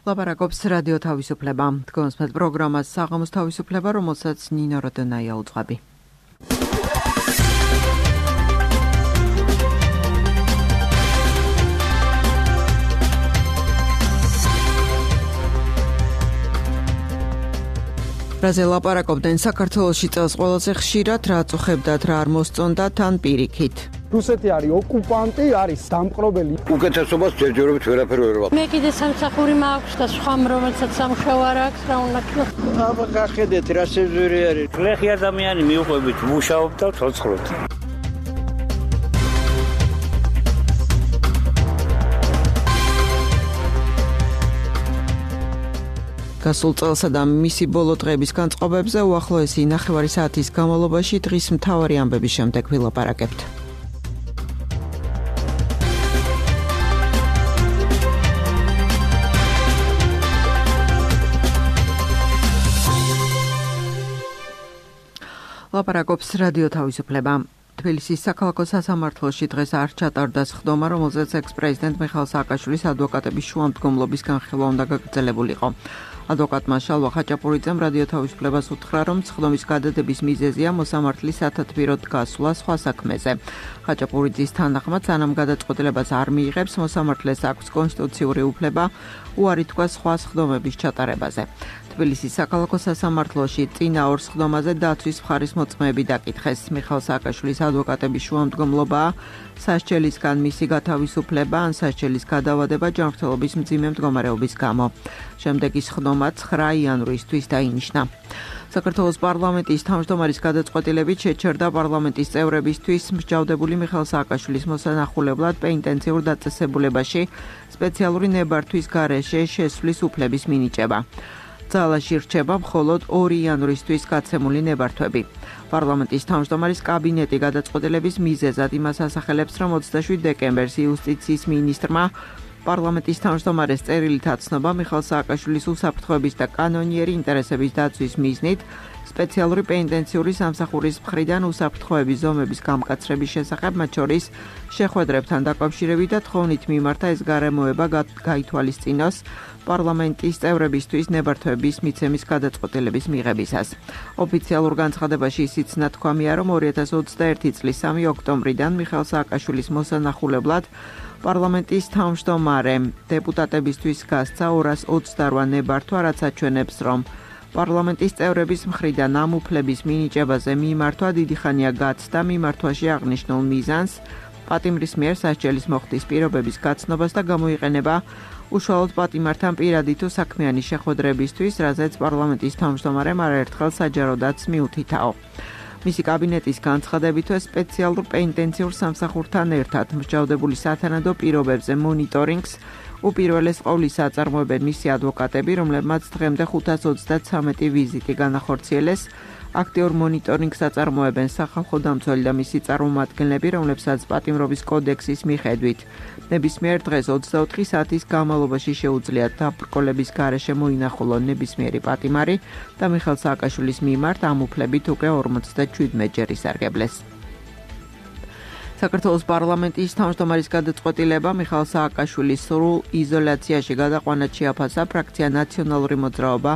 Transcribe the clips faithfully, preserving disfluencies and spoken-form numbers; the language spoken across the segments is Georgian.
ლაპარაკობს რადიო თავისუფლება. Თქვენს მეტ პროგრამას საღამოს თავისუფლება, რომელსაც ნინო როდონაია უძღვები. რაზე ლაპარაკობდნენ საქართველოში წელს ყველაზე ხშირად, რა წუხებდათ, რა არ მოსწონდათ, თან პირიქით. რუსეთი არის ოკუპანტი, არის დამპყრობელი. უკეთესობას ჯერჯერობით ვერაფერი ვერ ვაკეთებ. მე კიდე სამსახური მაქვს და სხვა რომელსაც სამუშაო არ აქვს, რა უნდა თქვა. აბა გახედეთ რა სეზური არის. გლეხი ადამიანი მიუყვებით, მუშაობ და ცოცხლობთ. გასულ წელსა და მისი ბოლო დღეების განწყობებზე უახლოესი ნახევარი საათის განმავლობაში დღის მთავარი ამბების შემდეგ ვილაპარაკებთ. ლაპარაკობს რადიო თავისუფლება. თბილისის საქალაქო სასამართლოში დღეს არ ჩატარდა სხდომა, რომელზეც ექს-პრეზიდენტ მიხაილ სააკაშვილის ადვოკატების შუამდგომლობის განხილვა უნდა გაგრძელებულიყო. ადვოკატმა შალვა ხაჭაპურიძემ რადიო თავისუფლებას უთხრა, რომ სხდომის გადადების მიზეზია მოსამართლის სათათბიროდ გასვლა სხვა საქმეზე. ხაჭაპურიძის თანახმად, სანამ გადაწყვეტილებას არ მიიღებს, მოსამართლეს აქვს კონსტიტუციური უფლება უარი თქვა სხვა სხდომების ჩატარებაზე. თბილისის საქალაქო სასამართლოში წინა ორ სხდომაზე დაცვის მხარის მოწმეები დაკითხეს. მიხაილ სააკაშვილის ადვოკატების შუამდგომლობაა სასჯელისგან მისი გათავისუფლება ან სასჯელის გადავადება ჯანმრთელობის მძიმე მდგომარეობის გამო. შემდეგი სხდომა ცხრა იანვრისთვის დაინიშნა. საქართველოს პარლამენტის თავმჯდომარის გადაწყვეტილებით შეჩერდა პარლამენტის წევრებისთვის მსჯავრდებული მიხაილ სააკაშვილის მოსანახულებლად პენიტენციურ დაწესებულებაში სპეციალური ნებართვის გარეშე შესვლის უფლების მინიჭება. ძალაში რჩება მხოლოდ ორი იანვრისთვის გაცემული ნებართვები. პარლამენტის თავმჯდომარის კაბინეტი გადაწყვეტილების მიზეზად იმას ასახელებს, რომ ოცდაშვიდ დეკემბერს იუსტიციის მინისტრმა პარლამენტის თავმჯდომარეს წერილით აცნობა მიხაილ სააკაშვილის უსაფრთხოების და კანონიერი ინტერესების დაცვის მიზნით სპეციალური პენიტენციური სამსახურის მხრიდან უსაფრთხოების ზომების გამკაცრების შესახებ, მათ შორის შეხვედრებთან დაკავშირებით და თხოვნით მიმართა ეს გარემოება გაითვალისწინოს პარლამენტის წევრებისთვის ნებართვების მიცემის გადაწყვეტილების მიღებისას. ოფიციალურ განცხადებაში ისიც ნათქვამია, რომ ორი ათას ოცდაერთი წლის სამი ოქტომბრიდან მიხაილ სააკაშვილის მოსანახულებლად პარლამენტის თავმჯდომარე დეპუტატებისთვის გასცა ორას ოცდარვა ნებართვა, რაც აჩვენებს, რომ პარლამენტის წევრების მხრიდან ამ უფლების მინიჭებაზე მიმართვა დიდი ხანია გაცდა მიმართვაში აღნიშნულ მიზანს, პატიმრის მიერ სასჯელის მოხდის პირობების გაცნობას და გამოიყენება უშუალოდ პატიმართან პირადი თუ საქმიანი შეხვედრებისთვის, რაზეც პარლამენტის თავმჯდომარემ არაერთხელ საჯაროდაც მიუთითაო. მისი კაბინეტის განცხადებითვე სპეციალურ პენიტენციურ სამსახურთან ერთად მსჯავრდებული სათანადო პირობებზე მონიტორინგს უპირველეს ყოვლისა აწარმოებენ მისი ადვოკატები, რომლებმაც დღემდე ხუთას ოცდათვრამეტი ვიზიტი განახორციელეს. აქტიურ მონიტორინგს აწარმოებენ სახალხო დამცველი და მისი წარმომადგენლები, რომლებსაც პატიმრობის კოდექსის მიხედვით ნებისმიერ დღეს ოცდაოთხი საათის განმავლობაში შეუძლიათ დაბრკოლების გარეშე მოინახულონ ნებისმიერი პატიმარი და მიხაილ სააკაშვილის მიმართ ამ უფლებით უკვე ორმოცდაშვიდმეტჯერ ისარგებლეს. საქართველოს პარლამენტის თავმჯდომარის გადაწყვეტილება მიხაილ სააკაშვილის სრულ იზოლაციაში გადაყვანად შეაფასა ფრაქცია ნაციონალური მოძრაობა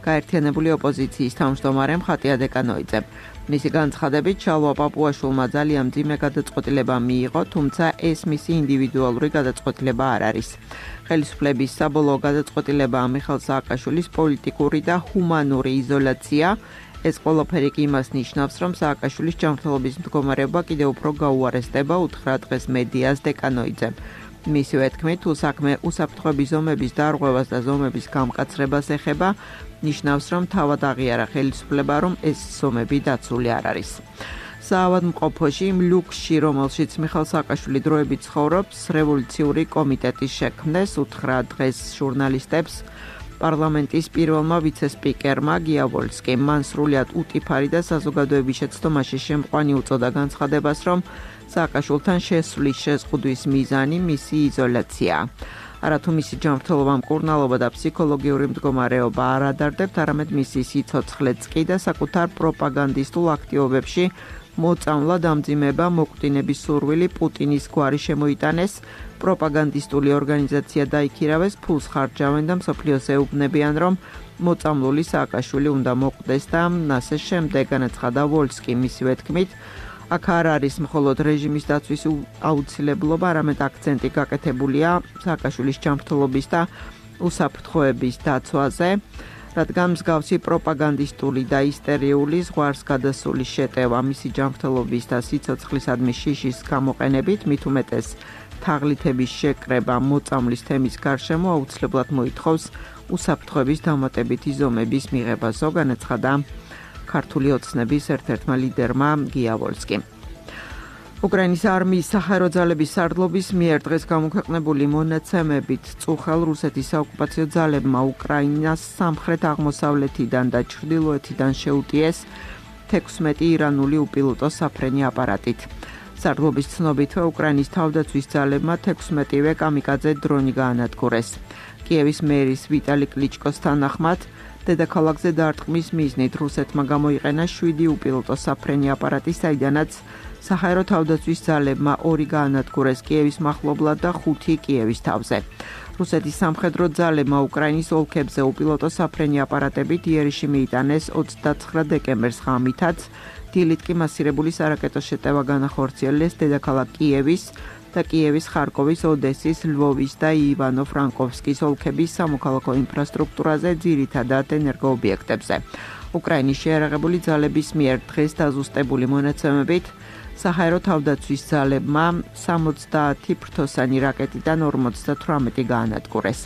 გაერთიანებული ოპოზიციის თავმჯდომარემ ხატია დეკანოიძემ. მისი განცხადებით, შალვა პაპუაშვილმა ძალიან მძიმე გადაწყვეტილება მიიღო, თუმცა ეს მისი ინდივიდუალური გადაწყვეტილება არ არის. ხელისუფლების საბოლოო გადაწყვეტილებაა მიხაილ სააკაშვილის პოლიტიკური და ჰუმანური იზოლაცია. ეს ყველაფერი კი იმას ნიშნავს, რომ სააკაშვილის ჯანმრთელობის მდგომარეობა კიდევ უფრო გაუარესდება, უთხრა დღეს მედიას დეკანოიძემ. მისივე თქმით, თუ საქმე უსაფრთხოების ზომების დარღვევას და ზომების გამკაცრებას ეხება, ნიშნავს, რომ თავად აღიარა ხელისუფლება, რომ ეს ზომები დაცული არ არის. საავადმყოფოში ლუქსში, რომელშიც მიხაილ სააკაშვილი დროებით ცხოვრობს, რევოლუციური კომიტეტის შექმნეს, უთხრა დღეს ჟურნალისტებს პარლამენტის პირველმა ვიცე-სპიკერმა გიავოლსკიმ. მან სრულიად უტიფარი და საზოგადოების შეცდომაში შემყვანი უწოდა განცხადებას, რომ სააკაშვილთან შესვლის შეზღუდვის მიზანი მისი იზოლაციაა. არათუ მისი ჯანმრთელობა, მკურნალობა და ფსიქოლოგიური მდგომარეობა არ ადარდებთ, არამედ მისი სიცოცხლეც კი და საკუთარ პროპაგანდისტულ აქტივობებში მოწამლა დამძიმება მოკვდინების სურვილი პუტინის გვარი შემოიტანეს, პროპაგანდისტული ორგანიზაცია დაიქირავეს, ფულს ხარჯავენ და მსოფლიოს ეუბნებიან, რომ მოწამლული სააკაშვილი უნდა მოკვდეს და ასე შემდეგ, განაცხადა ვოლსკი მისივე თქმით. აქ არ არის მხოლოდ რეჟიმის დაცვის აუცილებლობა, არამედ აქცენტი გაკეთებულია სააკაშვილის ჯანმრთელობის და უსაფრთხოების დაცვაზე, რადგან მსგავსი პროპაგანდისტული და ისტერიული ზღვარს გადასული შეტევა მისი ჯანმრთელობის და სიცოცხლისადმი შიშის გამოყენებით, მით უმეტეს თაღლითების შეკრება მოწამლის თემის გარშემო აუცილებლად მოითხოვს უსაფრთხოების დამატებითი ზომების მიღებასო, განაცხადა ქართული ოცნების ერთ-ერთმა ლიდერმა გია ვოლსკიმ. უკრაინის არმიის საჰაერო ძალების სარდლობის მიერ დღეს გამოქვეყნებული მონაცემებით წუხელ რუსეთის საოკუპაციო ძალებმა უკრაინას სამხრეთ-აღმოსავლეთიდან და ჩრდილოეთიდან შეუტიეს თექვსმეტი ირანული უპილოტო საფრენი აპარატით. სარდლობის ცნობითვე უკრაინის თავდაცვის ძალებმა თექვსმეტივე კამიკაძე დრონი გაანადგურეს. კიევის მერის ვიტალი კლიჩკოს თანახმად დედაქალაქზე დარტყმის მიზნით რუსეთმა გამოიყენა შვიდი უპილოტო საფრენი აპარატი, საიდანაც საჰაერო თავდაცვის ძალებმა ორი გაანადგურეს კიევის მახლობლად და ხუთი კიევის თავზე. რუსეთის სამხედრო ძალებმა უკრაინის ოლქებზე უპილოტო საფრენი აპარატებით იერიში მიიტანეს ოცდაცხრა დეკემბერს ღამითაც, დილით კი მასირებული სარაკეტო შეტევა განახორციელეს დედაქალაქ კიევის და კიევის, ხარკოვის, ოდესის, ლვოვის და ივანო-ფრანკოვსკის ოლქების სამოქალაქო ინფრასტრუქტურაზე, ძირითადად ენერგოობიექტებზე. უკრაინის შეიარაღებული ძალების მიერ დღეს დაზუსტებული მონაცემებით საჰაერო თავდაცვის ძალებმა სამოცდაათი ფრთოსანი რაკეტიდან ორმოცდათვრამეტი გაანადგურეს.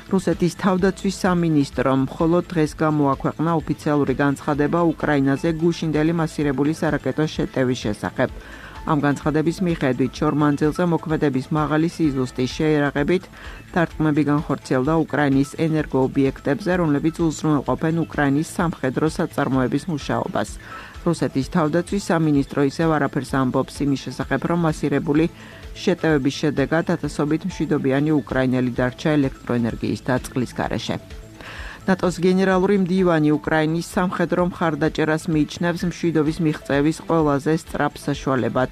რუსეთის თავდაცვის სამინისტრომ მხოლოდ დღეს გამოაქვეყნა ოფიციალური განცხადება უკრაინაზე გუშინდელი მასირებული სარაკეტო შეტევის შესახებ. ამ განცხადების მიხედვით შორმანძილზე მოქმედების მაღალი სიზუსტის შეიარაღებით დარტყმები განხორციელდა უკრაინის ენერგოობიექტებზე, რომლებიც უზრუნველყოფენ უკრაინის სამხედრო საწარმოების მუშაობას. რუსეთის თავდაცვის სამინისტრო ისევ არაფერს ამბობს იმის შესახებ, რომ მასირებული შეტევების შედეგად ათასობით მშვიდობიანი უკრაინელი დარჩა ელექტროენერგიის დაწყლის გარეშე. ნატოს გენერალური მდივანი უკრაინის სამხედრო მხარდაჭერას მიიჩნევს მშვიდობის მიღწევის ყველაზე სწრაფ საშუალებად.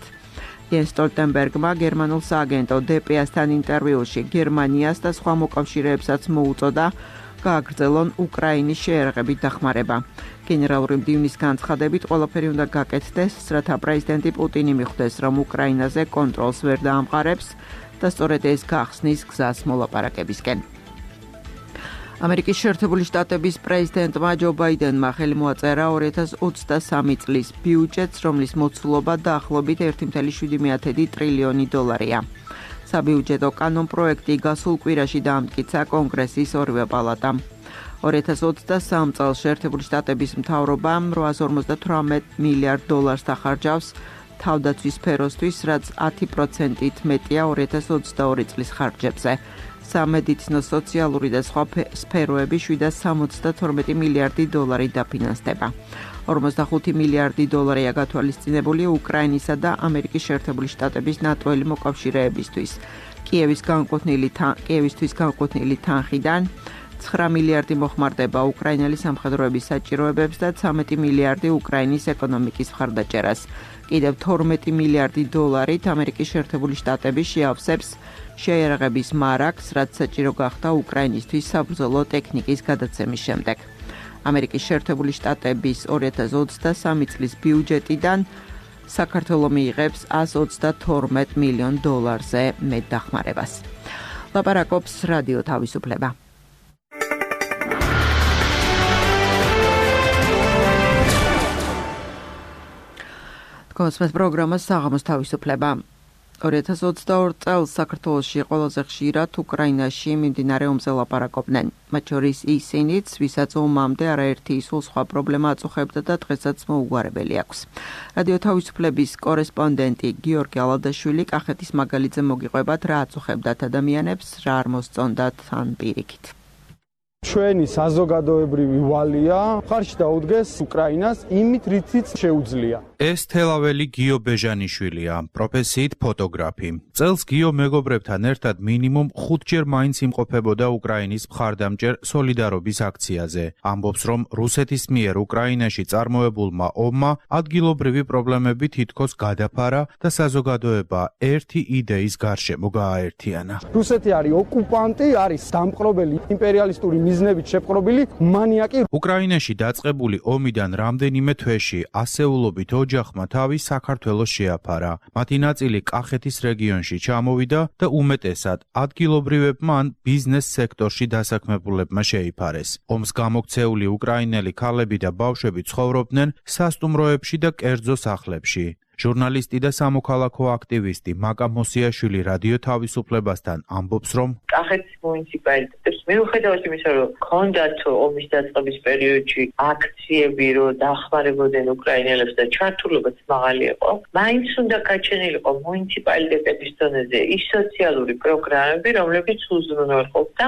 იენს სტოლტენბერგმა გერმანულ სააგენტო დე პე-ასთან ინტერვიუში გერმანიას და სხვა მოკავშირეებსაც მოუწოდა გააგრძელონ უკრაინის შეიარაღებით დახმარება. გენერალური მდივნის განცხადებით ყველაფერი უნდა გაკეთდეს, რათა პრეზიდენტი პუტინი მიხვდეს, რომ უკრაინაზე კონტროლს ვერ დაამყარებს და სწორედ ეს გახსნის გზას მოლაპარაკებისკენ. ამერიკის შეერთებული შტატების პრეზიდენტმა ჯო ბაიდენმა ხელი მოაწერა ორი ათას ოცდასამი წლის ბიუჯეტს, რომლის მოცულობა დაახლოებით ერთი წუთი შვიდი ტრილიონი დოლარია. საბიუჯეტო კანონპროექტი გასულ კვირაში დაამტკიცა კონგრესის ორივე პალატამ. ორი ათას ოცდასამ წელს შეერთებული შტატების მთავრობამ რვაას ორმოცდათვრამეტ მილიარდ დოლარს დახარჯავს თავდაცვის სფეროსთვის, რაც ათი პროცენტით მეტია ორი ათას ოცდაორი წლის ხარჯებზე. სამედიცინო, სოციალური და სხვა სფეროები შვიდას სამოცდათორმეტი მილიარდი დოლარი დაფინანსდება. ორმოცდახუთი მილიარდი დოლარია გათვალისწინებული უკრაინისა და ამერიკის შეერთებული შტატების ნატოელი მოკავშირეებისთვის. კიევის განკუთვნილი კიევისთვის განკუთვნილი თანხიდან ცხრა მილიარდი მოხმარდება უკრაინელი სამხედროების საჭიროებებს და ცამეტი მილიარდი უკრაინის ეკონომიკის მხარდაჭერას. კიდევ თორმეტი მილიარდი დოლარით ამერიკის შეერთებული შტატები შეავსებს შეიარაღების მარაგს, რაც საჭირო გახდა უკრაინისთვის საბრძოლო ტექნიკის გადაცემის შემდეგ. ამერიკის შეერთებული შტატების ორი ათას ოცდასამი წლის ბიუჯეტიდან საქართველო მიიღებს ას ოცდათორმეტ მილიონ დოლარზე მეტ დახმარებას. ლაპარაკობს რადიო თავისუფლება. კონსპეთ პროგრამას საღამოს თავისუფლება. ორი ათას ოცდაორი წელს საქართველოში ყველაზე ხშირად უკრაინაში მიმდინარე ომზე ლაპარაკობდნენ. მათ შორის ისინიც, ვისაც ომამდე არაერთი სულ სხვა პრობლემა აწუხებდა და დღესაც მოუგვარებელი აქვს. რადიო თავისუფლების კორესპონდენტი გიორგი ალადაშვილი კახეთის მაგალიძე მოგიყვებათ, რა აწუხებდათ ადამიანებს, რა არ მოსწონდათ ან პირიქით. ჩვენი საზოგადოებრივი ვალია ხარში დაუდგეს უკრაინას იმით, რითიც შეუძლია. ეს თელაველი გიო ბეჟანიშვილია, პროფესიით ფოტოგრაფი. წელს გიო მეგობრებთან ერთად მინიმუმ ხუთჯერ მაინც იმყოფებოდა უკრაინის მხარდამჭერ სოლიდარობის აქციაზე. ამბობს, რომ რუსეთის მიერ უკრაინაში წარმოებულმა ომმა ადგილობრივი პრობლემები თითქოს გადაფარა და საზოგადოება ერთი იდეის გარშემო გააერთიანა. რუსეთი არის ოკუპანტი, არის დამპყრობელი იმპერიალისტური მიზნებით შეპყრობილი მანიაკი. უკრაინაში დაწყებული ომიდან რამდენიმე თვეში ასეულობით ოჯახმა თავი საქართველოს შეაფარა. მათი ნაწილი კახეთის რეგიონში ჩამოვიდა და უმეტესად ადგილობრივებმა ან ბიზნეს სექტორში დასაქმებულებმა შეიფარეს. ომს გამოქცეული უკრაინელი ქალები და ბავშვები ცხოვრობდნენ სასტუმროებში და კერძო სახლებში. ჟურნალისტი და სამოქალაქო აქტივისტი მაკა მოსიაშვილი რადიო თავისუფლებასთან ამბობს, რომ კახეთის მუნიციპალიტეტს მიუხედავად იმისა, რომ ჰქონდათ ომის დაწყების პერიოდში აქციები, რომ დახმარებოდნენ უკრაინელებს და ჩართულობაც მაღალი იყო, მაინც უნდა გაჩენილიყო მუნიციპალიტეტების დონეზე ის სოციალური პროგრამები, რომლებიც უზრუნველყოფდა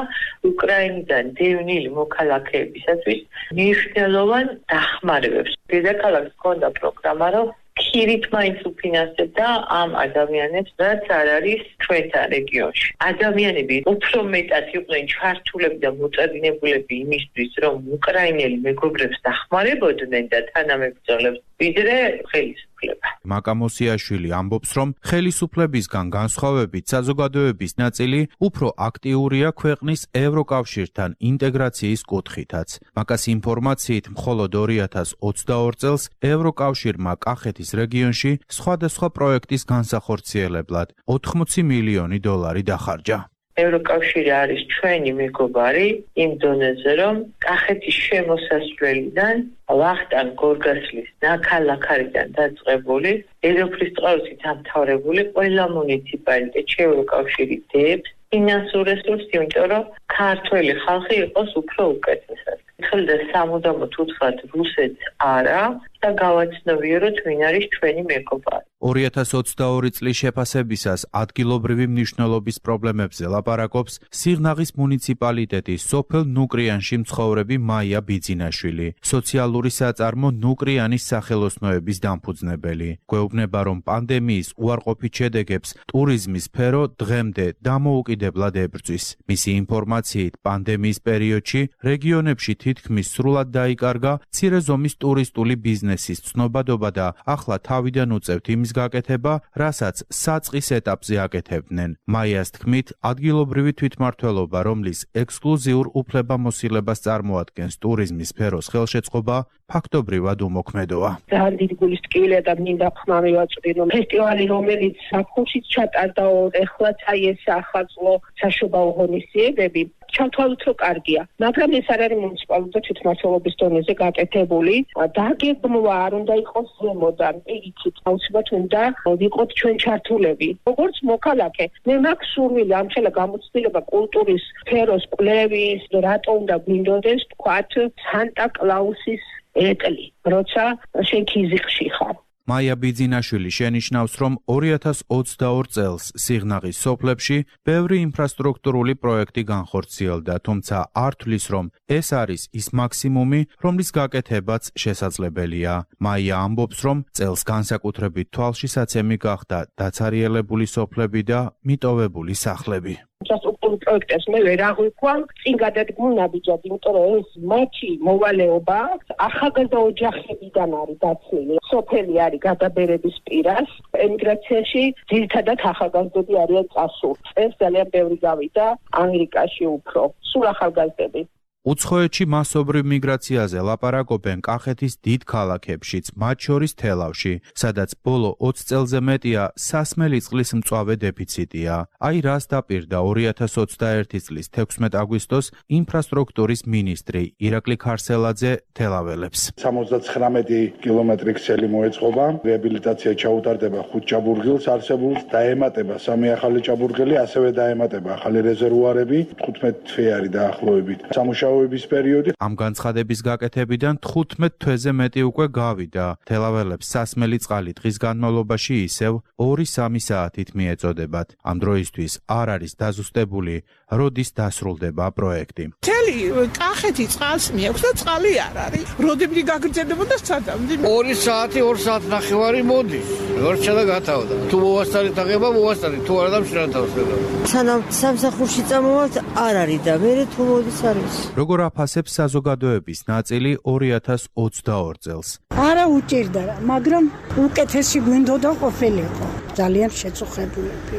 უკრაინიდან დევნილი მოქალაქეებისათვის მნიშვნელოვან დახმარებებს. დედაქალაქს ჰქონდა პროგრამა, რომ ხირით მაინც უფინანსებდა ამ ადამიანებს, რაც არ არის ჩვენთან რეგიონში. ადამიანები უფრო მეტად იყვნენ ჩართულები და მოწადინებულები იმისთვის, რომ უკრაინელი მეგობრებს დახმარებოდნენ და თანამებრძოლებს, ვიდრე ხელისუფლება. მაკა მოსიაშვილი ამბობს, რომ ხელისუფლებისგან განსხვავებით საზოგადოების ნაწილი უფრო აქტიურია ქვეყნის ევროკავშირთან ინტეგრაციის კუთხითაც. მაკას ინფორმაციით, მხოლოდ ორი ათას ოცდაორ წელს ევროკავშირმა კახეთის რეგიონში სხვადასხვა პროექტის განსახორციელებლად ოთხმოცი მილიონი დოლარი დახარჯა. ევროკავშირი არის ჩვენი მეგობარი იმ დონეზე, რომ კახეთის შემოსასვლელიდან ვახტანგ გორგასლის ნაქალაქარიდან დაწყებული ეროვნული წყაროთი დამთავრებული ყველა მუნიციპალიტეტში ევროკავშირი დებს ფინანსურ რესურსს, იმიტომ რომ ქართველი ხალხი იყოს უფრო უკეთესად. ეხლა სამუდამოდ უთხრათ რუსეთს არა და გავაცნობიეროთ ვინ არის ჩვენი მეგობარი. ორი ათას ოცდაორი წლის შეფასებისას ადგილობრივი მნიშვნელობის პრობლემებზე ლაპარაკობს სიღნაღის მუნიციპალიტეტის სოფელ ნუკრიანში მცხოვრები მაია ბიძინაშვილი, სოციალური საწარმო ნუკრიანის სახელოსნოების დამფუძნებელი. გვეუბნება, რომ პანდემიის უარყოფით შედეგებს ტურიზმის სფერო დღემდე დამოუკიდებლად ებრძვის. მისი ინფორმაციით, პანდემიის პერიოდში რეგიონებში თითქმის სრულად დაიკარგა მცირე ზომის ტურისტული ბიზნესის ცნობადობა და ახლა თავიდან უწევთ იმის გაკეთება, რასაც საწყის ეტაპზე აკეთებდნენ. მაიას თქმით, ადგილობრივი თვითმმართველობა, რომლის ექსკლუზიურ უფლებამოსილებას წარმოადგენს ტურიზმის სფეროს ხელშეწყობა, ფაქტობრივად უმოქმედოა. ძალიან დიდი გულის ტკივილია და მინდა ხმა მივაწვდი, რომ ფესტივალი, რომელიც საფხულშიც ჩატარდაო, ეხლაც აი ეს ახალწლო საშობაო ღონისძიებები, ჩავთვალოთ, რომ კარგია. მაგრამ ეს არ არის მუნიციპალიტეტის თვითმმართველობის დონეზე გაკეთებული. დაგეგმვა არ უნდა იყოს ზემოდან, პირიქით, აუცილებლად უნდა ვიყოთ ჩვენ ჩართულები. როგორც მოქალაქე, მე მაქვს სურვილი ამ ხელა გამოცდილება კულტურის სფეროს კვლევის, რატო უნდა გვინდოდეს თქვათ სანტა კლაუსის ეტლი, როცა შენ ქიზიყში ხარ. მაია ბიძინაშვილი შენიშნავს, რომ ორი ათას ოცდაორ წელს სიღნაღის სოფლებში ბევრი ინფრასტრუქტურული პროექტი განხორციელდა, თუმცა არ თვლის, რომ ეს არის ის მაქსიმუმი, რომლის გაკეთებაც შესაძლებელია. მაია ამბობს, რომ წელს განსაკუთრებით თვალშისაცემი გახდა დაცარიელებული სოფლები და მიტოვებული სახლები. ინფრასტრუქტურულ პროექტებს მე ვერ აღვიქვამ, წინ გადადგმულ ნაბიჯად, იმიტომ რომ ეს მათი მოვალეობა ახალგაზრდა ოჯახებიდან არის დაცული. სოფელი არის გადაბერების პირას, ემიგრაციაში ძირითადად ახალგაზრდები არიან წასული. ეს ძალიან ბევრი გავიდა ამერიკაში უფრო, სულ ახალგაზრდები. უცხოეთში მასობრივ მიგრაციაზე ლაპარაკობენ კახეთის დიდ ქალაქებშიც, მათ შორის თელავში, სადაც ბოლო ოცი წელზე მეტია სასმელი წყლის მწვავე დეფიციტია. აი რას დაპირდა ორი ათას ოცდაერთი წლის თექვსმეტ აგვისტოს ინფრასტრუქტურის მინისტრი ირაკლი ქარსელაძე თელაველებს. სამოცდაცხრამეტი კილომეტრი ქსელი მოეწყობა, რეაბილიტაცია ჩაუტარდება ხუთ ჭაბურღილს არსებულს, დაემატება სამი ახალი ჭაბურღილი, ასევე დაემატება ახალი რეზერვუარები, თხუთმეტ თვე არის დაახლოებით. სამუშაო პერიოდი. ამ განცხადების გაკეთებიდან თხუთმეტ თვეზე მეტი უკვე გავიდა. თელაველებს სასმელი წყალი დღის განმავლობაში ისევ ორი სამი საათით მიეწოდებათ. ამ დროისთვის არ არის დაზუსტებული როდის დასრულდება პროექტი. მთელი კახეთი წყალს მიაქვს და წყალი არ არის. როდებრი გაგრძელებოდა სადამდე? ორი საათი, ორი საათი ნახევარი მოდის. ვერჩა და გათავდა. თუ მოვასწარი თაღება, მოვასწარი, თუ არა და მშრალ თავს ხედავ. სანამ სამსახურში წამოვალთ, არ არის და მე თუ მოდის არის. როგორ აფასებს საზოგადოების ნაწილი ორი ათას ოცდაორ წელს? არა უჭირდა, მაგრამ უკეთესი გვინდოდა ყოფილიყო. ძალიან შეწუხებულები.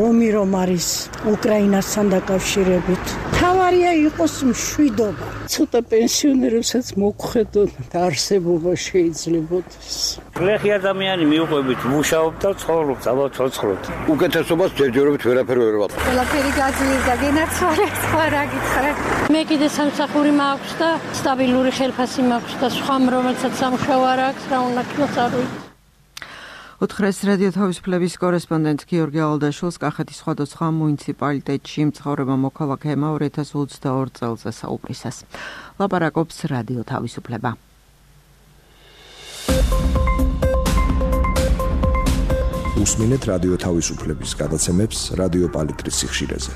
ომი რომ არის უკრაინასთან დაკავშირებით. თავარია იყოს მშვიდობა. ცოტა პენსიონერებსაც მოგხედოთ და არსებობა შეიძლებოდეს. გლეხი ადამიანი მიუყვებით, მუშაობთ და ცხოვრობთ, ალბათ ცოცხლობთ. უკეთესობას ჯერჯერობით ვერაფერი ვერ ვატყობ. ყველაფერი გაძლიერდა და გენაცვალე, სხვა რა გითხრათ. მე კიდე სამსახური მაქვს და სტაბილური ხელფასი მაქვს და სხვა რომელსაც სამუშაო არ აქვს, რა უნდა გქონდეს. ოთხრეს რადიო თავისუფლების კორესპონდენტ გიორგი ალდაშვილს კახეთის სხვადასხვა მუნიციპალიტეტში მცხოვრებმა მოქალაქეებმა ორი ათას ოცდაორ წელზე საუბრისას. ლაპარაკობს რადიო თავისუფლება. უსმინეთ რადიო თავისუფლების გადაცემებს რადიო პალიტრის სიხშირეზე.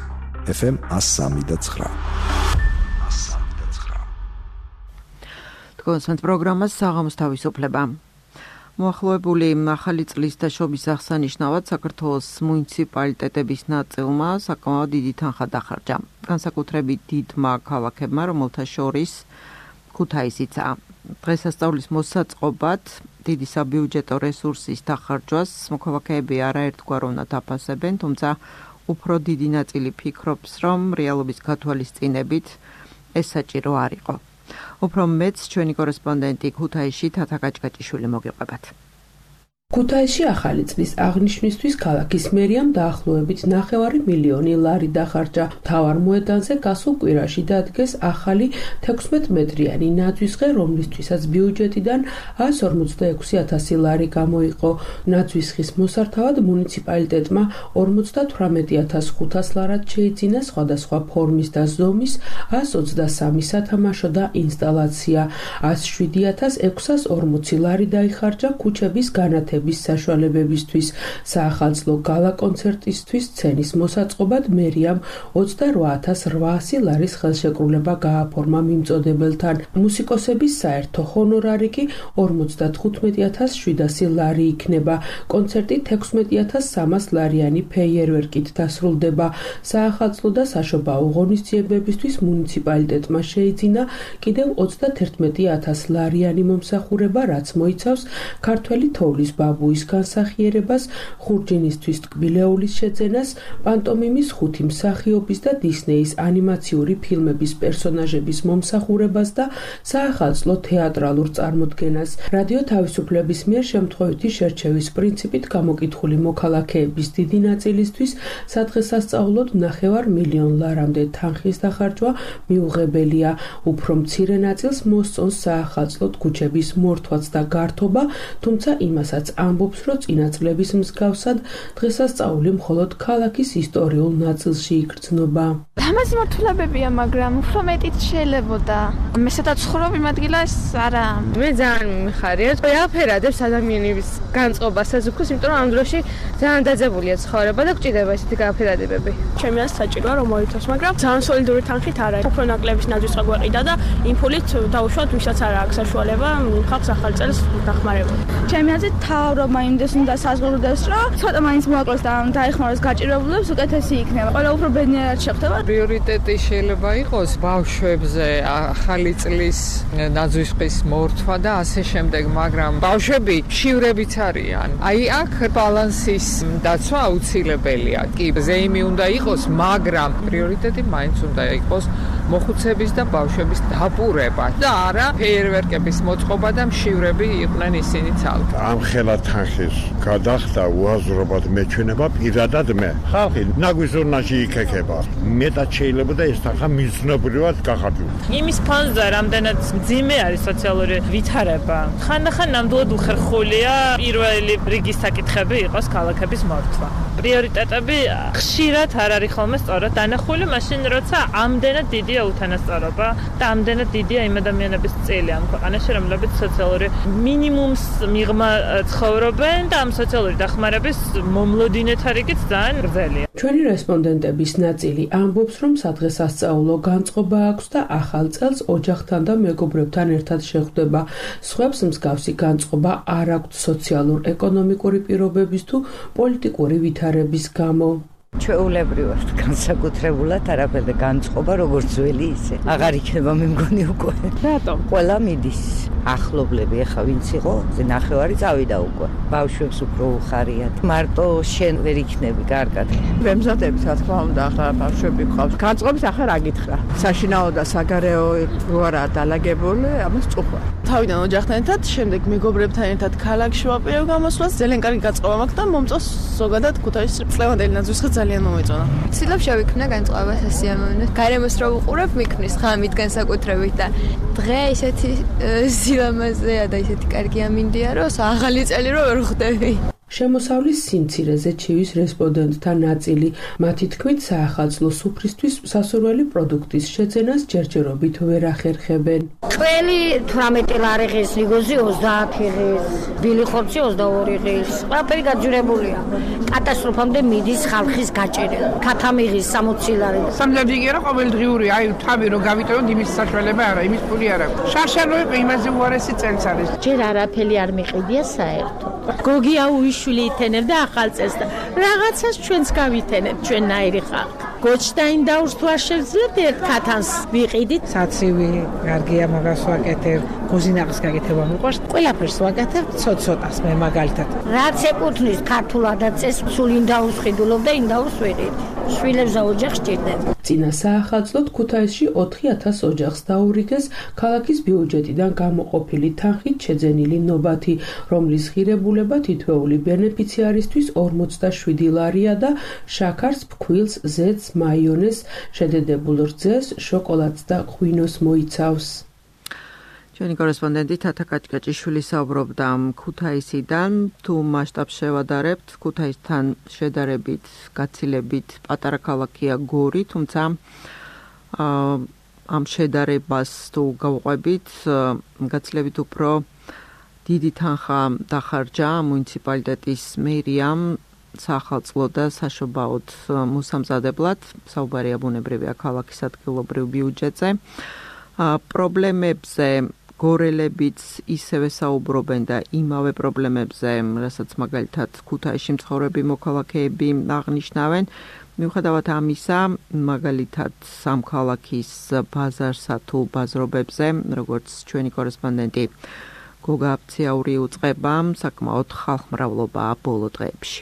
ეფ ემ ას სამი და ცხრა. თქვენს პროგრამას საღამოს თავისუფლება. მოახლოებული ახალი წლის და შობის აღსანიშნავად საქართველოს მუნიციპალიტეტების ნაწილმა საკმაოდ დიდი თანხა დახარჯა. განსაკუთრებით დიდმა ქალაქებმა, რომელთა შორის ქუთაისიცაა. დღესასწაულის მოსაწყობად დიდი საბიუჯეტო რესურსის დახარჯვას მოქალაქეები არაერთგვარ უნდა დაფასებენ, თუმცა უფრო დიდი ნაწილი ფიქრობს, რომ რეალობის გათვალისწინებით ეს საჭირო არ იყო. უფრო მეც ჩვენი კორესპონდენტი ქუთაისში თათა კაჭკაჭიშვილი მოგიყვებათ. ქუთაისში ახალი წლის აღნიშვნისთვის ქალაქის მერიამ დაახლოებით ნახევარი მილიონი ლარი დახარჯა. მთავარ მოედანზე გასულ კვირაში დადგეს ახალი თექვსმეტ მეტრიანი ნაძვისღე, რომლისთვისაც ბიუჯეტიდან ას ორმოცდაექვსი ათასი ლარი გამოიყო. ნაძვისხის მოსართავად მუნიციპალიტეტმა ორმოცდათვრამეტი ათას ხუთას ლარად შეიძინა სხვადასხვა ფორმის და ზომის ას ოცდასამი სათამაშო და ინსტალაცია. ას შვიდი ათას ექვსას ორმოცი ლარი დაიხარჯა ქუჩების განათების საშუალებებისთვის. საახალწლო გალა კონცერტისთვის სცენის მოსაწყობად მერიამ ოცდარვა ათას რვაასი ლარის ხელშეკრულება გააფორმა მიმწოდებელთან. მუსიკოსების საერთო ჰონორარი კი ორმოცდათხუთმეტი ათას შვიდასი ლარი იქნება. კონცერტი თექვსმეტი ათას სამას ლარიანი ფეიერვერკით დასრულდება. საახალწლო და საშობაო ღონისძიებებისთვის მუნიციპალიტეტმა შეიძინა კიდევ ოცდათერთმეტი ათას ლარიანი მომსახურება, რაც მოიცავს ქართველი თოვლის ბაბუის განსახიერებას, ხურჯინისთვის ტკბილეულის შეძენას, პანტომიმის ხუთი მსახიობის და დისნეის ანიმაციური ფილმების პერსონაჟების მომსახურებას და საახალწლო თეატრალურ წარმოდგენას. რადიო თავისუფლების მიერ შემთხვევითი შერჩევის პრინციპით გამოკითხული მოქალაქეების დიდი ნაწილისთვის სადღესასწაულოდ ნახევარ მილიონ ლარამდე თანხის დახარჯვა მიუღებელია. უფრო მცირე ნაწილს მოსწონს საახალწლოდ ქუჩების მორთვაც და გართობა, თუმცა იმასაც ამბობს, რომ წინა წლების მსგავსად დღესასწაული მხოლოდ ქალაქის ისტორიულ ნაწილში იგრძნობა. ლამაზი მართულებებია, მაგრამ უფრო მეტიც შეიძლებოდა. მე სადაც ცხოვრობ იმ ადგილას არა. მე ძალიან მიმიხარია. ყველაფერადებს ადამიანების განწყობასაც უქოს, იმიტომ რომ ამ დროში ძალიან დაძაბულია ცხოვრება და გჭირდება ესეთი განაფერადებები. ჩემი აზრით საჭიროა რომ მოიცავს, მაგრამ ძალიან სოლიდური თანხით არა. უფრო ნაკლების ნაძვის გაგვაყიდა და იმ ფულით დაუშვათ, ვისაც არ აქვს საშუალება ხალხს ახალ წელს დახმარება. ჩემი აზრით თავრობა იმდეს უნდა საზღურდეს, რომ ცოტა მაინც მოაკლოს და დაეხმაროს გაჭირებულებს, უკეთესი იქნება. ყველა უფრო ბედნიერად შეხვდება. პრიორიტეტი შეიძლება იყოს ბავშვებზე ახალი წლის ნაძვისყის მორთვა და ასე შემდეგ, მაგრამ ბავშვები შივრებიც არიან. აი აქ ბალანსის დაცვა აუცილებელია. კი, ზეიმი უნდა იყოს, მაგრამ პრიორიტეტი მაინც უნდა იყოს მოხუცების და ბავშვების დაპურება და არა ფეიერვერკების მოწყობა და მშივრები იყვნენ ისინი ცალკე. ამ ხელა თანხის გადახდა უაზრობად მეჩვენება პირადად მე. ხალხი ნაგვის ზონაში იქექება. მეტად შეიძლება და ეს თანხა მიზნობრივად გახარჯულიყო. იმის ფონზე რამდენად მძიმე არის სოციალური ვითარება. ხანდახან ნამდვილად უხერხულია პირველი რიგის საკითხები იყოს ქალაქების მორთვა. პრიორიტეტები ხშირად არ არის ხოლმე სწორად დანახული, მაშინ როცა ამდენად დიდია უთანასწორობა და ამდენად დიდია იმ ადამიანების წილი ამ ქვეყანაში, რომლებიც სოციალური მინიმუმს მიღმა ცხოვრობენ და ამ სოციალური დახმარების მომლოდინეთა რიგიც ძალიან გრძელია. ჩვენი რესპონდენტების ნაწილი ამბობს, რომ სადღესასწაულო განწყობა აქვს და ახალ წელს ოჯახთან და მეგობრებთან ერთად შეხვდება. სხვებს მსგავსი განწყობა არ აქვთ სოციალურ-ეკონომიკური პირობების თუ პოლიტიკური ვითარების გამო. ჩვეულებრივად განსაკუთრებულად არაფერდა განწყობა როგორც ძველი ისე. აღარ იქნება მე მგონი უკვე. რატომ? ყველა მიდის. ახლობლები ახლა ვინც იყო, ნახევარი წავიდა უკვე. ბავშვებს უფრო უხარიათ. მარტო შენ ვერ იქნები კარგად. ვემზადებით რა თქმა უნდა, ახლა ბავშვები გყავს. განწყობით ახლა რა გითხრა? საშინაო და საგარეო რო არაა დალაგებული, ამას წუხვა. თავიდან ოჯახთან ერთად, შემდეგ მეგობრებთან ერთად ქალაქში ვაპირებ გამოსვლას, ძალიან კარგი განწყობა მაქვს და მომწონს ზოგადად ქუთაისში წლევანდელი ნაძვისხე ძალიან მომეწონა. ცდილობ შევიქმნა განწყობა სასიამოვნო. გარემოს რო უყურებ, მიქმნის ღამით განსაკუთრებით და დღე ისეთი სილამაზეა და ისეთი კარგი ამინდია, რომ ახალი წელი რო ვერ ხვდები. შემოსავლის სიმცირეზე ჩივის რესპონდენტთა ნაწილი. მათი თქმით, საახალწლო სუფრისთვის სასურველი პროდუქტის შეძენას ჯერჯერობით ვერ ახერხებენ. ყველი თვრამეტი ლარი ღირს, ლიგოზი ოცდაათი ღირს, ბილი ხორცი ოცდაორი ღირს. ყველაფერი გაძვირებულია. კატასტროფამდე მიდის ხალხის გაჭერა. ქათამი ღირს სამოცი ლარი. სამლაბიგი რა ყოველდღიური, აი თავი რო გავიტოვოთ იმის საშუალება არა, იმის ფული არა. შარშალოები იმაზე უარესი წელს არის. ჯერ არაფერი არ მიყიდია საერთოდ. გოგია უიშვილი ითენებდა ახალ წელს და რაღაცას ჩვენც გავითენებთ ჩვენნაირი ხალხი. გოჩდაინ დაურს თუ არ შევძლებთ ერთ ქათანს ვიყიდით. საცივი კარგია, მაგას ვაკეთებ, გოზინაღის გაკეთება მიყვარს. ყველაფერს ვაკეთებ ცოცხლას მე მაგალითად. რაც ეკუთვნის ქართულ ადაწეს, სულ ინდაურს ხიდულობ და ინდაურს ვიყიდით. შვილებს და ოჯახს ჭირდება. წინა საახალწლოდ ქუთაისში ოთხი ათას ოჯახს დაურიგეს ქალაქის ბიუჯეტიდან გამოყოფილი თანხით შეძენილი ნობათი, რომლის ღირებულება თითოეული ბენეფიციარისთვის ორმოცდაშვიდი ლარია და შაქარს, ფქვილს, ზეთს, მაიონეზს, შედედებულ რძეს, შოკოლადს და ღვინოს მოიცავს. ჩვენი კორესპონდენტი თათა კაჭკაჭიშვილი საუბრობდა ქუთაისიდან. თუ მასშტაბს შევადარებთ, ქუთაისთან შედარებით, გაცილებით პატარა ქალაქია გორი, თუმცა ამ შედარებას თუ გავყვებით, გაცილებით უფრო დიდი თანხა დახარჯა მუნიციპალიტეტის მერიამ საახალწლო და საშობაოდ მოსამზადებლად. საუბარია ბუნებრივია ქალაქის ადგილობრივ ბიუჯეტზე. პრობლემებზე გორელებიც ისევე საუბრობენ და იმავე პრობლემებზე, რასაც მაგალითად ქუთაისში მცხოვრები მოქალაქეები აღნიშნავენ. მიუხედავად ამისა, მაგალითად სამ ქალაქის ბაზარსა თუ ბაზრობებზე, როგორც ჩვენი კორესპონდენტი გოგა აფციაური უწყება, საკმაოდ ხალხმრავლობაა ბოლო დღეებში.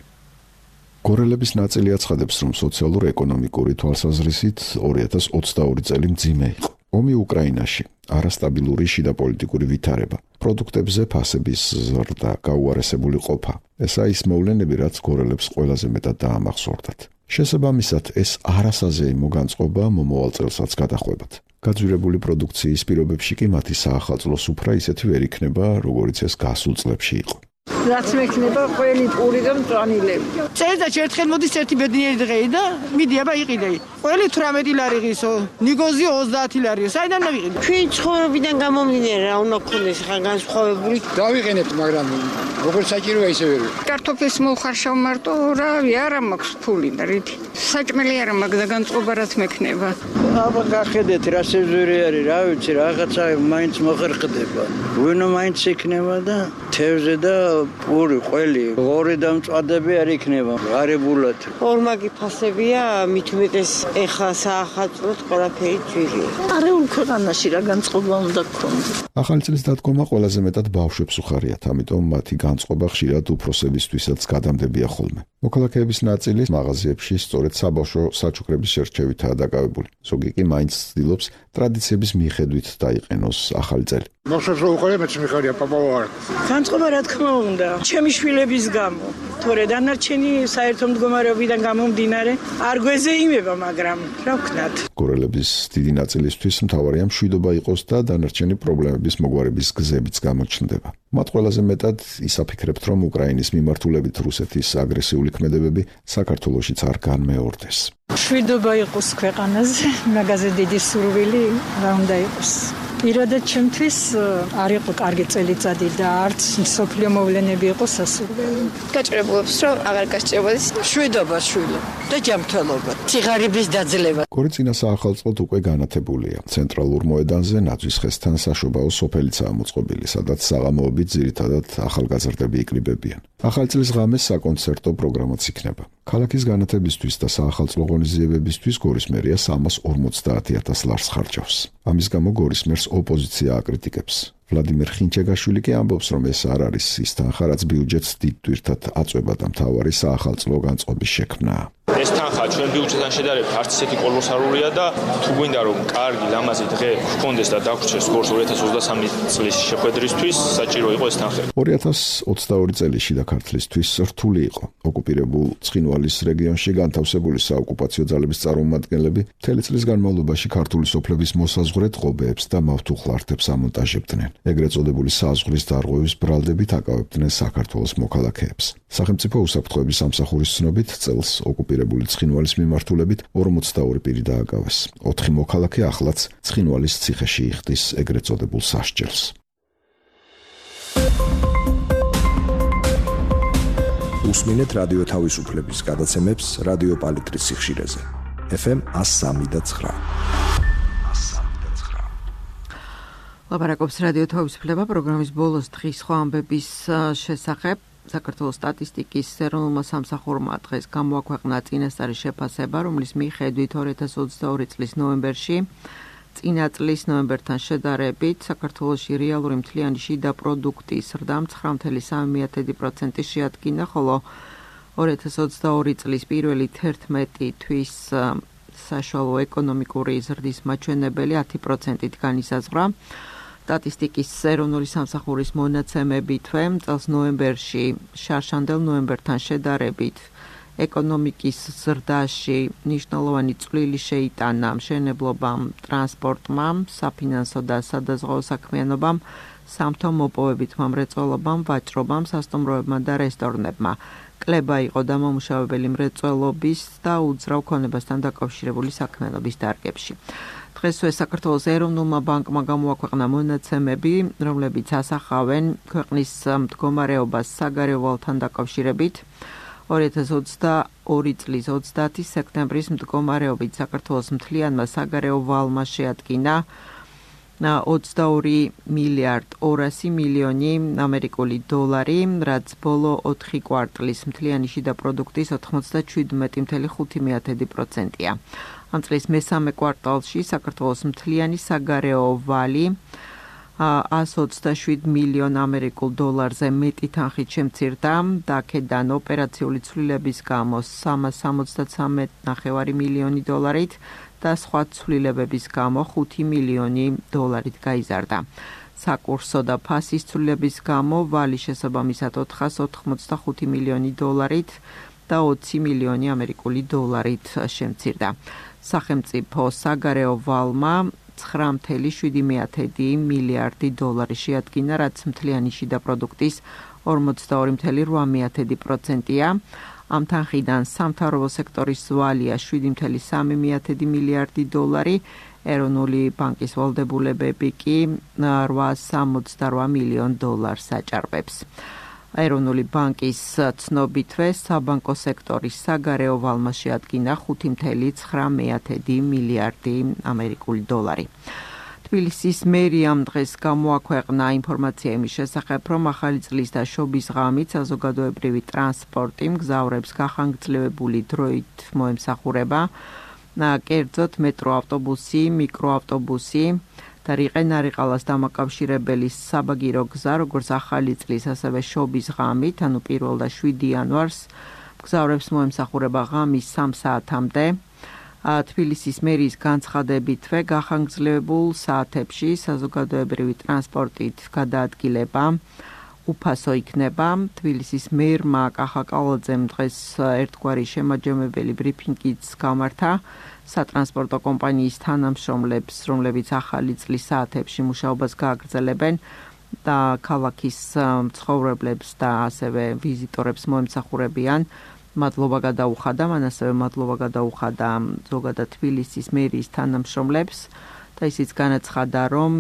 გორელების ნაწილი აცხადებს, რომ სოციალურ-ეკონომიკური თვალსაზრისით ორი ათას ოცდაორი წელი მძიმე იყო. ომი უკრაინაში, არასტაბილური შიდა პოლიტიკური ვითარება, პროდუქტებზე ფასების ზრდა, გაუარესებული ყოფა. ესაა ის მოვლენები, რაც გორელებს ყველაზე მეტად დაამახსოვრდათ. შესაბამისად, ეს არასაზეიმო განწყობა მომავალ წელსაც გადახვევათ. გაძვირებული პროდუქციის პირობებში კი მათი საახალწლო სუფრა ისეთი ვერ იქნება, როგორიც ეს გასულ წლებში იყო. რაც მექნება ყველი პური და მწვანილები. წელიწადში ერთხელ მოდის ერთი ბედნიერი დღე და მიდი აბა იყიდე. ყველი თვრამეტი ლარი ღირსო, ნიგოზი ოცდაათი ლარიო. საიდან მივიყიდე? ჩვენ ცხოვრებიდან გამომდინარე რა უნდა გქონდეს ხა განსხვავებული. დავიყენებთ, მაგრამ როგორც საჭიროა ისე ვერ. კარტოფილს მოხარშავ მარტო, რავი, არა მაქვს ფული და რითი. საჭმელი არა მაქვს და განწყობა რაც მექნება. აბა გახედეთ რა სეზური არის, რა ვიცი, რაღაცა მაინც მოხერხდება. ვინო მაინც იქნება და თევზე და პური, ყველი, ღორი და მწვადები არ იქნება, ღარებულად. ორმაგი ფასებია, მით უმეტეს ეხლა საახალწლოდ ყველაფერი ძვირია. არეულ ქვეყანაში რა განწყობა უნდა გქონდეს. ახალი წლის დადგომა ყველაზე მეტად ბავშვებს უხარიათ, ამიტომ მათი განწყობა ხშირად უფროსებისთვისაც გადამდებია ხოლმე. მოქალაქეების ნაწილი მაღაზიებში სწორედ საბავშვო საჩუქრების შერჩევითაა დაკავებული. ზოგი კი მაინც ცდილობს ტრადიციების მიხედვით დაიყენოს ახალი წელი. ბავშვებს რო უყურე მეც მიხარია პაპაო არ. განწყობა რა თქმა უნდა, ჩემი შვილების გამო. თორე დანარჩენი საერთო მდგომარეობიდან გამომდინარე არ გვეზეიმება, მაგრამ რა ვქნათ. გორელების დიდი ნაწილისთვის მთავარია მშვიდობა იყოს და დანარჩენი პრობლემების მოგვარების გზებიც გამოჩნდება. მათ ყველაზე მეტად ისაფიქრებთ, რომ უკრაინის მიმართულებით რუსეთის აგრესიული ქმედებები საქართველოშიც არ განმეორდეს. მშვიდობა იყოს ქვეყანაზე, მაგაზე დიდი სურვილი რა უნდა იყოს. პირადად ჩემთვის არ იყო კარგი წელიწადი და არც სოფლიო მოვლენები იყო სასურველი. გაჭირებულობს რომ აღარ გასჭირებოდეს შვიდობა შვილო და ჯანმრთელობა, ციხარების დაძლევა. კორიცინა საახალწლოდ უკვე განათებულია. ცენტრალურ მოედანზე ნაძვის ხესთან საშობაო სოფელიცაა მოწყობილი, სადაც საღამოობით ძირითადად ახალგაზრდები იკრიბებიან. ახალი წლის ღამეს საკონცერტო პროგრამაც იქნება. ქალაქის განათებისთვის და საახალწლო ღონისძიებებისთვის გორის მერია სამას ორმოცდაათი ათას ლარს ხარჯავს. ამის გამო გორის მერს ოპოზიცია აკრიტიკებს. ვლადიმერ ხინჩეგაშვილი კი ამბობს, რომ ეს არ არის ის თანხა, რაც ბიუჯეტს დიდ ტვირთად აწვება და მთავარი საახალწლო განწყობის შექმნაა. ეს თანხა ჩვენ ბიუჯეტთან შედარებით არც ისეთი კოლოსალურია და თუ გვინდა რომ კარგი ლამაზი დღე გქონდეს და დაგვრჩეს გორს ორი ათას ოცდასამი წლის შეხვედრისთვის, საჭირო იყო ეს თანხები. ორი ათას ოცდაორი წელი შიდა ქართლისთვის რთული იყო. ოკუპირებულ ცხინვალის რეგიონში განთავსებული საოკუპაციო ძალების წარმომადგენლები მთელი წლის განმავლობაში ქართული სოფლების მოსაზღვრეთ ღობეებს და მავთუხლართებს ამონტაჟებდნენ. ეგრეთ წოდებული საზღვრის დარღვევის ბრალდებით აკავებდნენ საქართველოს მოქალაქეებს. სახელმწიფო უსაფრთხოების სამსახურის ცნობით წელს ოკუპირებული ცხინვალის მიმართულებით ორმოცდაორი პირი დააკავეს. ოთხი მოქალაქე ახლაც ცხინვალის ციხეში იხდის ეგრეთ წოდებულ სასჯელს. უსმინეთ რადიო თავისუფლების გადაცემებს რადიო პალიტრის სიხშირეზე. ეფ ემ εκατო სამი და ცხრა. ლაპარაკობს რადიო თავისუფლება პროგრამის ბოლოს დღის სხვა ამბების შესახებ. საქართველოს სტატისტიკის ეროვნულმა სამსახურმა დღეს გამოაქვეყნა წინასწარი შეფასება, რომლის მიხედვით ორი ათას ოცდაორი წლის ნოემბერში წინა წლის ნოემბერთან შედარებით საქართველოში რეალური მთლიანი შიდა პროდუქტის ზრდა ცხრა virgulă სამი პროცენტი შეადგინა, ხოლო ორი ათას ოცდაორი წლის პირველი თერთმეტი თვის საშუალო ეკონომიკური ზრდის მაჩვენებელი ათი პროცენტით განისაზღვრა. სტატისტიკის ეროვნული სამსახურის მონაცემებითვე წელს ნოემბერში შარშანდელ ნოემბერთან შედარებით ეკონომიკის ზრდაში მნიშვნელოვანი წვლილი შეიტანა მშენებლობამ, ტრანსპორტმა, საფინანსო და სადაზღვეო საქმიანობამ, სამთო მოპოვებითმა მრეწველობამ, ვაჭრობამ, სასტუმროებმა და რესტორნებმა. კლება იყო დამამუშავებელი მრეწველობის და უძრავ ქონებასთან დაკავშირებული საქმიანობის დარგებში. დღესვე საქართველოს ეროვნულმა ბანკმა გამოაქვეყნა მონაცემები, რომლებიც ასახავენ ქვეყნის მდგომარეობას საგარეო ვალთან დაკავშირებით. ორი ათას ოცდაორი წლის ოცდაათი სექტემბრის მდგომარეობით საქართველოს მთლიანმა საგარეო ვალმა შეადგინა ოცდაორი მილიარდ ორასი მილიონი ამერიკული დოლარი, რაც ბოლო ოთხი კვარტლის მთლიანი შიდა პროდუქტის ოთხმოცდაშვიდი virgulă ხუთი პროცენტია. ამ წლის მესამე კვარტალში საქართველოს მთლიანი საგარეო ვალი εκατო ოცდაშვიდი მილიონ ამერიკულ დოლარზე მეტი თანხით შემცირდა და აქედან ოპერაციული ცვლილების გამო სამას სამოცდათსამეტ ნახევარი მილიონი დოლარით და სხვა ცვლილებების გამო ხუთი მილიონი დოლარით გაიზარდა. საკურსო და ფასის ცვლილების გამო ვალი შესაბამისად ოთხას ოთხმოცდახუთი მილიონი დოლარით და ოცი მილიონი ამერიკული დოლარით შემცირდა. სახელმწიფო საგარეო ვალმა ცხრა virgulă შვიდი მილიარდი დოლარი შეადგინა, რაც მთლიანი შიდა პროდუქტის ორმოცდაორი virgulă რვა პროცენტია. ამ თანხიდან სამთავრობო სექტორის ვალია შვიდი virgulă სამი მილიარდი დოლარი, ეროვნული ბანკის ვალდებულებები კი რვაას სამოცდარვა მილიონ დოლარს აჭარბებს. ეროვნული ბანკის ცნობითვე საბანკო სექტორის საგარეო ვალმა შეადგინა ხუთი virgulă ცხრა მილიარდი ამერიკული დოლარი. თბილისის მერიამ დღეს გამოაქვეყნა ინფორმაცია იმის შესახებ, რომ ახალი წლის და შობის ღამით საზოგადოებრივი ტრანსპორტი მგზავრებს გახანგრძლივებული დროით მოემსახურება, კერძოდ მეტროავტობუსი, მიკროავტობუსი და რიყენ-არიყალას დამაკავშირებელი საბაგირო გზა, როგორც ახალი წლის, ასევე შობის ღამით, ანუ პირველ და შვიდი იანვარს მგზავრებს მოემსახურება ღამის სამ საათამდე. თბილისის მერიის განცხადებითვე გახანგრძლივებულ საათებში საზოგადოებრივი ტრანსპორტით გადაადგილება უფასო იქნება. თბილისის მერმა კახა კალაძემ დღეს ერთგვარი შემაჯამებელი ბრიფინგიც გამართა სატრანსპორტო კომპანიის თანამშრომლებს, რომლებიც ახალი წლის საათებში მუშაობას გააგრძელებენ და ქალაქის მცხოვრებლებს და ასევე ვიზიტორებს მოემსახურებიან. მადლობა გადაუხადა, მან ასევე მადლობა გადაუხადა ზოგადად თბილისის მერიის თანამშრომლებს და და ისიც განაცხადა, რომ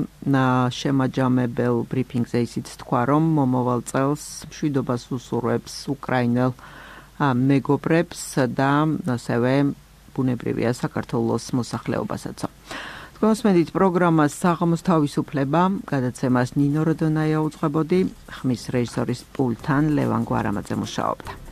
შემაჯამებელ ბრიფინგზე ისიც თქვა, რომ მომავალ წელს მშვიდობას უსურვებს უკრაინელ მეგობრებს და ასევე ბუნებრივია საქართველოს მოსახლეობასაც. მოსმენით პროგრამას საღამოს თავისუფლება, გადაცემას ნინო როდონაია უძღვებოდი, ხმის რეჟისორის პულტთან ლევან გვარამაძე მუშაობდა.